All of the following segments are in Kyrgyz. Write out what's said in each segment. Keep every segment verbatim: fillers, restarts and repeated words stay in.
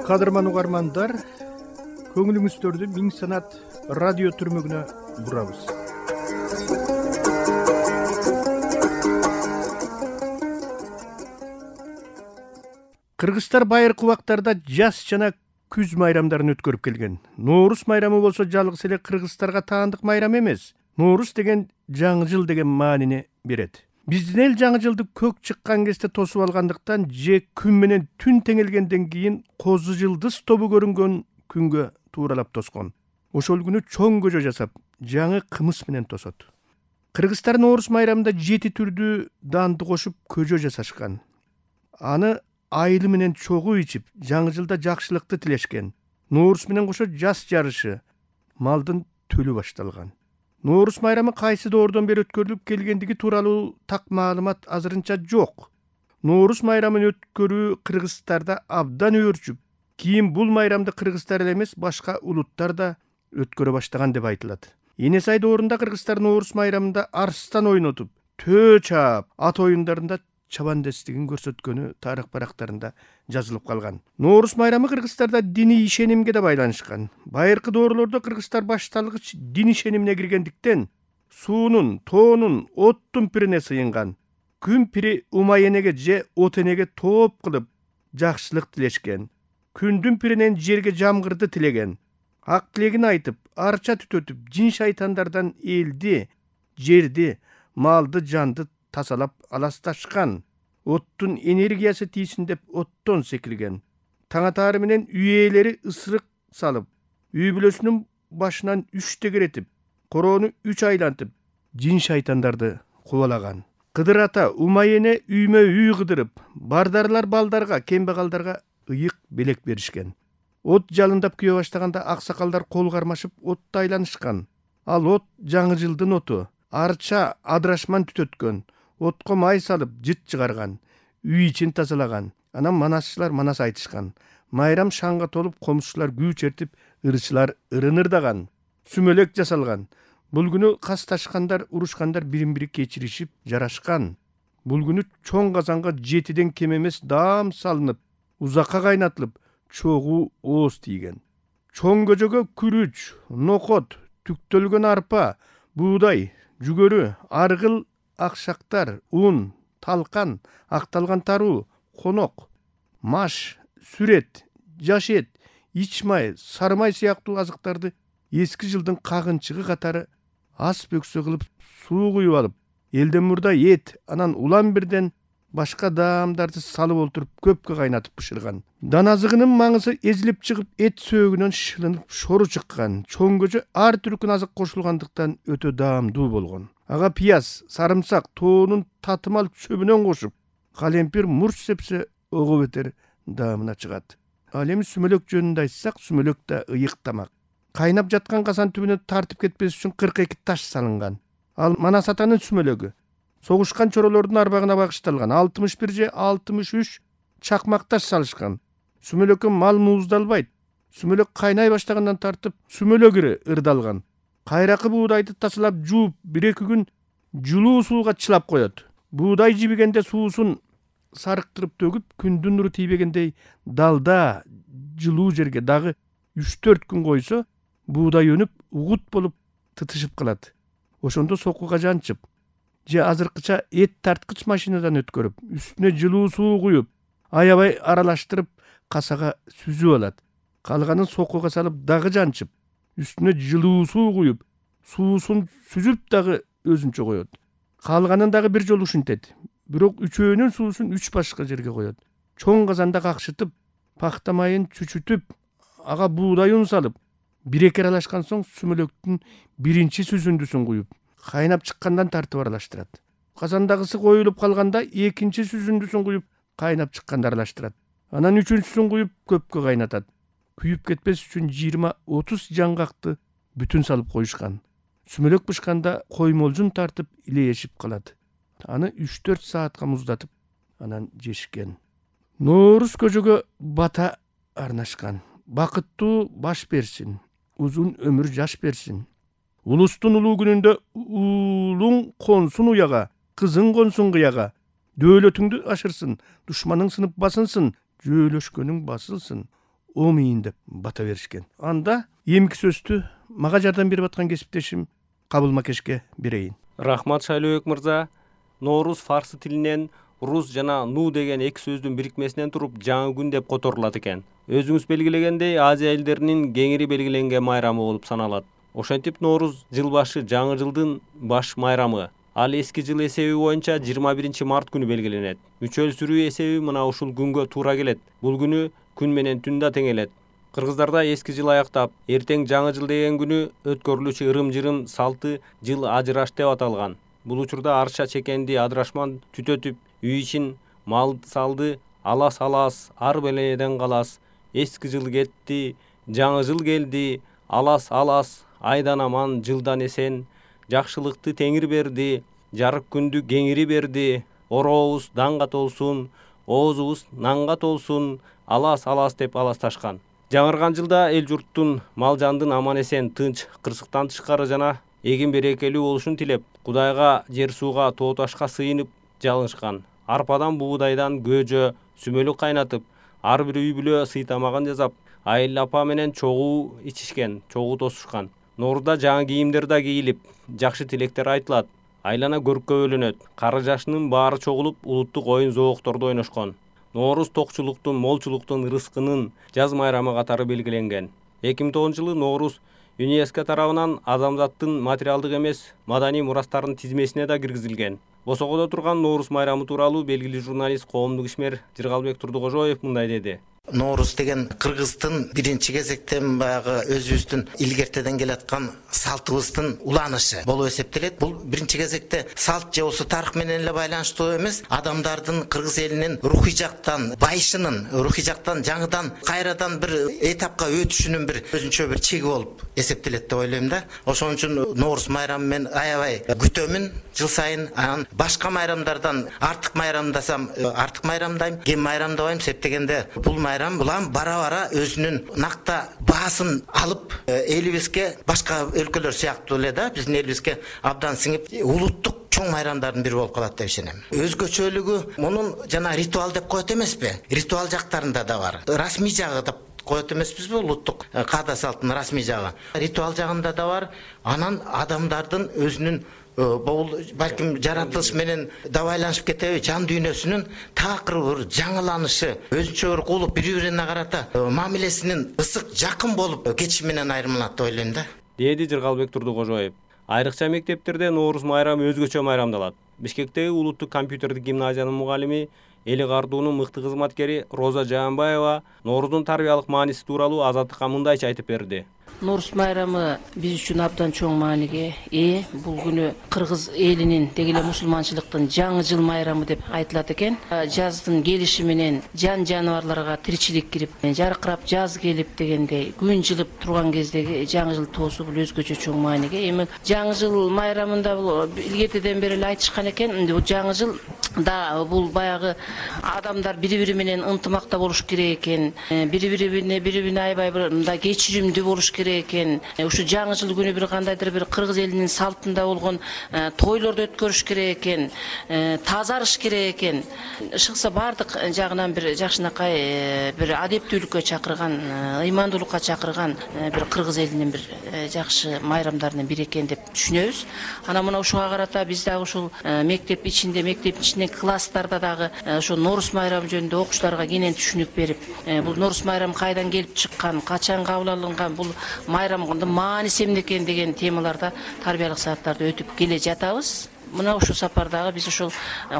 Кадырман угармандар, көңүлүңүздөрдү Миң Санат радио түрмөгүнө бурабыз. Кыргызстар байыркы убактарда жаз жана күз майрамдарын өткөрүп келген. Ноорус майрамы болсо жалгыз эле кыргыздарга таандык майрам эмес. Ноорус деген жаңы жыл деген маанини берет. Биздин эл жаңы жылды көк чыккан кезде тосуп алгандыктан же күн менен түн теңелгенден кийин козу жылдыз тобу көрүнгөн күнгө тууралап тоскон. Ошол күнү чоң көжө жасап, жаңы кымыз менен тосот. Кыргыздар Ноорус майрамында жети түрдүү данды кошуп көжө жасашкан. Аны айылы менен чогуу ичип, жаңы жылда жакшылыкты тилешкен. Ноорус менен кошо жаз жарышы, малдын төлү башталган. Ноорус майрамы кайсы доордон бери өткөрүлүп келгендиги тууралуу так маалымат азырынча жок. Ноорус майрамын өткөрүү кыргыздарда абдан өөрчүп, кийин бул майрамды кыргыздар эле эмес, башка улуттар да өткөрө баштаган деп айтылат. Эне сай доорунда кыргыздар Ноорус майрамында арстан ойнотуп, төө чаап, ат оюндарында чабандестигин көрсөткөнү тарых барактарында жазылып калган. Ноорус майрамы кыргыздарда диний ишенимге да байланышкан. Байыркы доорлордо кыргыздар башталгыч дин ишенимине киргендиктен суунун, тоонун, оттун пирине сыйынган. Күн пири умайенеге же от энеге тооп кылып жакшылык тилешкен. Күндүн пиринен жерге жамгырды тилеген. Ак тилегин айтып, арча түтөтүп, жин шайтандардан элди, жерди, малды, жанды тасалап аласташкан. Оттун энергиясы тийсин деп оттон секирген. Таң атаары менен үй ээлери ысырык салып, үй бүлөсүнүн башынан үч тегеретип, короону үч айлантып, жин шайтандарды кубалаган. Кыдыр ата, умай эне үймө үй кыдырып, бардарлар балдарга, кембагалдарга ыйык белек беришкен. От жалындап күйө баштаганда аксакалдар кол кармашып отто айланышкан. Ал от жаңы жылдын оту. Арча адырашман түтөткөн. Отко май салып, жыт чыгарган, үй ичин тазалаган. Анан манасчылар манас айтышкан. Майрам шаңга толуп, комушчулар күү чертип, ырчылар ырынырдаган. Сүмөлөк жасалган. Бул күнү касташкандар, урушкандар бирин-бири кечиришип, жарашкан. Бул күнү чоң казанга жетиден кем эмес даам салынып, узакка кайнатылып, чогуу ооз тийген. Чоң көжөгө күрүч, нокот, түктөлгөн арпа, буудай, жүгөрү, аргыл, акшактар, ун, талкан, акталган таруу, конок, маш, сүрет, жаш эт, ич май, сары май сыяктуу азыктарды эски жылдын кагынчыгы катары ас бөксө кылып суу куюп алып, элден мурда эт, анан улам бирден башка даамдарды салып олтуруп көпкө кайнатып бышырган. Дан азыгынын маңызы эзилип чыгып, эт сөөгүнөн шылынып шору чыккан. Чоң көжө ар түркүн азык кошулгандыктан өтө даамдуу болгон. Ага пияз, сарымсак, тоонун татымал чөбүнөн кошуп, калемпир мурч сепсе ого бетер даамына чыгат. Ал эми сүмөлөк жөнүндө айтсак, сүмөлөк да ыйык тамак. Кайнап жаткан казан түбүнө тартып кетпес үчүн кырк эки таш салынган. Ал манас атанын сүмөлөгү. Согушкан чоролордун арбагына багышталган. алтымыш бир же алтымыш үч чакмак таш салышкан. Сүмөлөккө мал мууздалбайт. Сүмөлөк кайнай баштагандан тартып, сүмөлөк ири ырдалган. Кайракы буудайды тасалап жууп, бир-эки күн жылуу сууга чылап коет. Буудай жибигенде суусун сарыктырып төгүп, күндүн нуру тийбегендей далда, жылуу жерге дагы үч төрт күн койсо, буудай өнүп, угут болуп тытышып калат. Ошондо сокуга жанчып, же азыркыча эт тарткыч машинадан өткөрүп, үстүнө жылуу суу куюп, аябай аралаштырып, касага сүзүп алат. Калганын сокуга салып дагы жанчып, үстүнө жылуу суу куюп, суусун сүзүп дагы өзүнчө коет. Калганын дагы бир жолу ушинтет. Бирок үчөөнүн суусун үч башка жерге коет. Чоң казанда какшытып, пахта майын чүчүтүп, ага буудай un салып, бир-эки аралашкан соң сүмөлөктүн биринчи сүзүндүсүн куюп, кайнап чыккандан тартып аралаштырат. Казандагысы коюлуп калганда экинчи сүзүндүсүн куюп, кайнап чыкканда аралаштырат. Анан үчүнчүсүн куюп, көпкө кайнатат. Күйүп кетпес үчүн жыйырма отуз жаңгакты бүтүн салып коюшкан. Сүмөлөк бышканда коймолжун тартып илейешип калат. Аны үч төрт саатка муздатып, анан жешкен. Ноорус көжөгө бата арнашкан. Бакыттуу баш берсин, узун өмүр жаш берсин. Улустун улуу күнүндө уулуң консун уяга, кызың консун кыяга. Дөөлөтүңдү ашырсын, душманың сынып басынсын, жөөлөшкөнүң басылсын. омийин деп бата беришкен. Анда эмки сөздү мага жардам берип аткан кесиптешим Кабыл Макешке берейин. Рахмат Шайлообек мырза. Ноорус фарсы тилинен рус жана ну деген эки сөздүн бирикмесинен туруп жаңы күн деп которулат экен. Өзүңүз белгилегендей, Азия элдеринин кеңири белгиленген майрамы болуп саналат. Ошентип Ноорус жыл башы жаңы жылдын баш майрамы. Ал эски жыл эсеби боюнча жыйырма биринчи март күнү белгиленет. Үчөл сүрүү эсеби мына ушул күнгө туура келет. Бул күнү күн менен түн да тең элет. Кыргыздарда эски жыл аяктап, эртең жаңы жыл деген күнү өткөрүлүүчү ырым-жырым салты жыл ажыраш деп аталган. Бул учурда арша чекенди адырашман түтөтүп, үй ичин мал салды, алас-алас, ар беледен калас. Эски жыл кетти, жаңы жыл келди, алас-алас, айдан аман, жылдан эсен. Жакшылыкты теңир берди, жарык күндү кеңири берди. Орообуз данга толсун, оозубуз нанга толсун, алас-алас деп аласташкан. Жаңырган жылда эл журттун, мал жандын аман эсен, тынч, кырсыктан тышкары жана эгин берекелүү болушун тилеп, Кудайга, жер сууга, тоо ташка сыйынып жалынышкан. Арпадан, буудайдан көжө, сүмөлүк кайнатып, ар бир үй бүлө сый тамагын жасап, айыл апа менен чогуу ичишкен, чогуу тосушкан. Ноорузда жаңы кийимдер да кийилип, жакшы тилектер айтылат. Айлана көрккө бөлөнөт. Кары жашынын баары чогулуп, улуттук оюн зоокторду ойношкон. Ноорус токчулуктун, молчулуктун, ырыскынын жаз майрамы катары белгиленген. эки миң тогузунчу жылы Ноорус ЮНЕСКО тарабынан адамзаттын материалдык эмес маданий мурастарынын тизмесине да киргизилген. Босогодо турган Ноорус майрамы тууралуу белгилүү журналист, коомдук ишмер Жыргалбек Турдукожоев мындай деди. Ноорус деген кыргыздын биринчи кезектен баягы өзүбүздүн илгертеден келаткан салтыбыздын уланышы болуп эсептелет. Бул биринчи кезекте салт же болсо тарых менен эле байланыштуу эмес, адамдардын кыргыз элинин рухий жактан байышынын, рухий жактан жаңыдан кайрадан бир этапка өтүшүнүн бир өзүнчө бир чеги болуп эсептелет деп ойлойм да. Ошон үчүн Ноорус майрамын мен аябай күтөмүн жыл сайын. Анан башка майрамдардан артык майрамдасам, артык майрамдайм, кем майрамдабайм, септегенде бул майрам улам бара-бара өзүнүн накта баасын алып, элибизге башка өлкөлөр сыяктуу эле да, биздин элибизге абдан сиңип, улуттук чоң майрамдардын бири болуп калат деп ишенем. Өзгөчөлүгү мунун жана ритуал деп коет эмеспи? Ритуал жактарында да бар. Расмий жагы деп коет эмеспизби? Улуттук каада салттын расмий жагы. Ритуал жагында да бар. Анан адамдардын өзүнүн бул балким жаратылыш менен да байланышып кетеби, жан дүйнөсүнүн такыр бир жаңыланышы, өзүнчө бир кулуп бири-бирине карата мамилесинин ысык, жакын болуп кетиши менен айырмаланат деп ойлойм да. Деди Жыргалбек Турдукожоев. Айрыкча мектептерде Ноорус майрамы өзгөчө майрамдалат. Бишкектеги улуттук компьютердик гимназиянын мугалими, Эли Кардуунун мыкты кызматкери Роза Жаанбаева Ноорузун тарбиялык мааниси тууралуу Азаттыкка мындайча айтып берди. Ноорус майрамы биз үчүн абдан чоң мааниге ээ. Бул күнү кыргыз элинин деги эле мусулманчылыктын жаңы жыл майрамы деп айтылат экен. Жаздын келиши менен жан жаныбарларга тиричилик кирип, жаркырап жаз келип дегендей күн жылып турган кездеги жаңы жыл тоосу бул өзгөчө чоң мааниге. Эми жаңы жыл майрамында бул илгертеден бери эле айтышкан экен. Бул жаңы жыл да бул баягы адамдар бири-бири менен ынтымакта болуш керек экен. Бири-бирине бири-бирине аябай бир мындай кечиримдүү болуш керек экен. Ушу жаңы жыл күнү бир кандайдыр бир кыргыз элинин салтында болгон тойлорду өткөрүш керек экен, тазарыш керек экен. Шыкса бардык жагынан бир жакшынакай бир адептүүлүккө чакырган, ыймандуулукка чакырган бир кыргыз элинин бир жакшы майрамдарынын бири экен деп түшүнөбүз. Анан мына ушуга карата биз дагы ушул мектеп ичинде, мектеп ичинде класстарда дагы ошо Ноорус майрамы жөнүндө окуучуларга кенен түшүнүк берип, бул Ноорус майрамы кайдан келип чыккан, качан кабыл алынган, бул майрамдын мааниси эмне экен деген темаларда тарбиялык сааттарды өтүп келе жатабыз. Мына ушул сапардагы биз ушул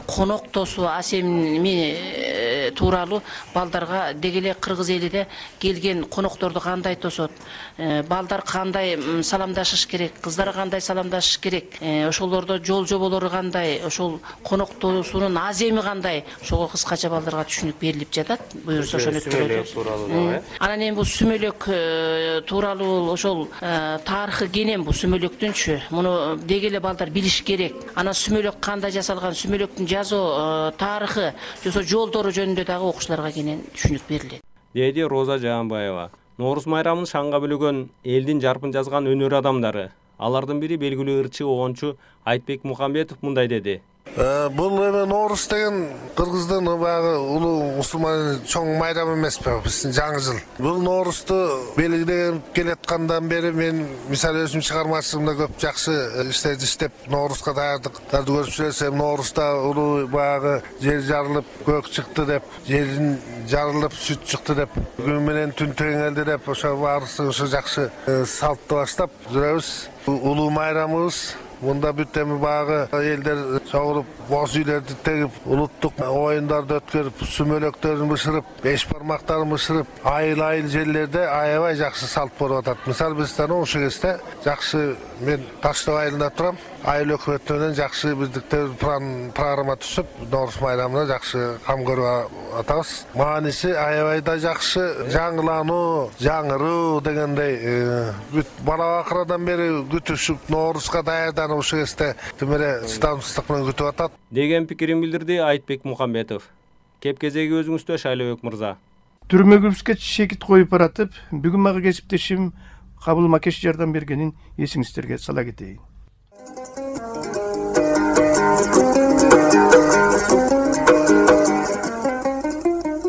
конок тосуу асемми тууралуу балдарга деги эле кыргыз элиде келген конокторду кандай тосот, балдар кандай саламдашыш керек, кыздар кандай саламдашыш керек, ошолордо жол жоболору кандай, ошол конок тосуунун аземи кандай, ошого кыскача балдарга түшүнүк берилип жатат. Буюрса ошону өткөрөбүз. Анан эми бул сүмөлөк тууралуу ошол тарыхы кенен бул сүмөлөктүнчү. Муну деги эле балдар билиш керек. Анан сүмөлөк кандай жасалган, сүмөлөктүн жазуу тарыхы, жосо жолдору жөнүндө дагы окуучуларга кенен түшүнүк берилет. Деди Роза Жаанбаева. Ноорус майрамын шаңга бөлөгөн элдин жарпын жазган өнөр адамдары. Алардын бири белгилүү ырчы, огончу Айтбек Мухамбетов мындай деди. Бул эме Ноорус деген кыргыздын баягы улуу мусулман чоң майрам эмеспи, биздин жаңы жыл. Бул Ноорусту белгилеп келаткандан бери мен мисалы өзүм чыгармачылыгымда көп жакшы иштерди иштеп Нооруска даярдыктарды көрүп жүрсөм, Ноорусда улуу баягы жер жарылып көк чыкты деп, жерин жарылып сүт чыкты деп, күн менен түн теңелди деп, ошо баарысы ошо жакшы салтты баштап жүрөбүз. Улуу майрамыбыз. Мында бүт эми баягы элдер чогулуп, боз үйлөрдү тегип, улуттук оюндарды өткөрүп, сүмөлөктөрүн бышырып, беш бармактарын бышырып, айыл-айыл жерлерде аябай жакшы салт болуп атат. Мисалы бизден ошол кезде жакшы, мен Таштоо айылында турам. Айыл өкмөтү менен жакшы бирдиктер программа түзүп, Ноорус майрамына жакшы кам көрүп атабыз. Мааниси аябай да жакшы, жаңылануу, жаңыруу дегендей, бүт бала бакырадан бери күтүшүп, Нооруска даярданып ошол кезде тимере чыдамсыздык менен күтүп атат деген пикирин билдирди Айтбек Мухамбетов. Кеп кезеги өзүңүздө, Шайлообек мырза. Түрмөгүбүзгө чекит коюп баратып, бүгүн мага кесиптешим Кабыл Макеш жардам бергенин эсиңиздерге сала кетейин.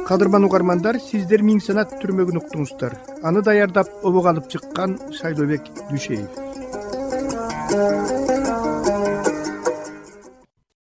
Кадырман угармандар, сиздер Миң санат түрмөгүн уктуңуздар. Аны даярдап обого алып чыккан Шайлообек Дүйшеев.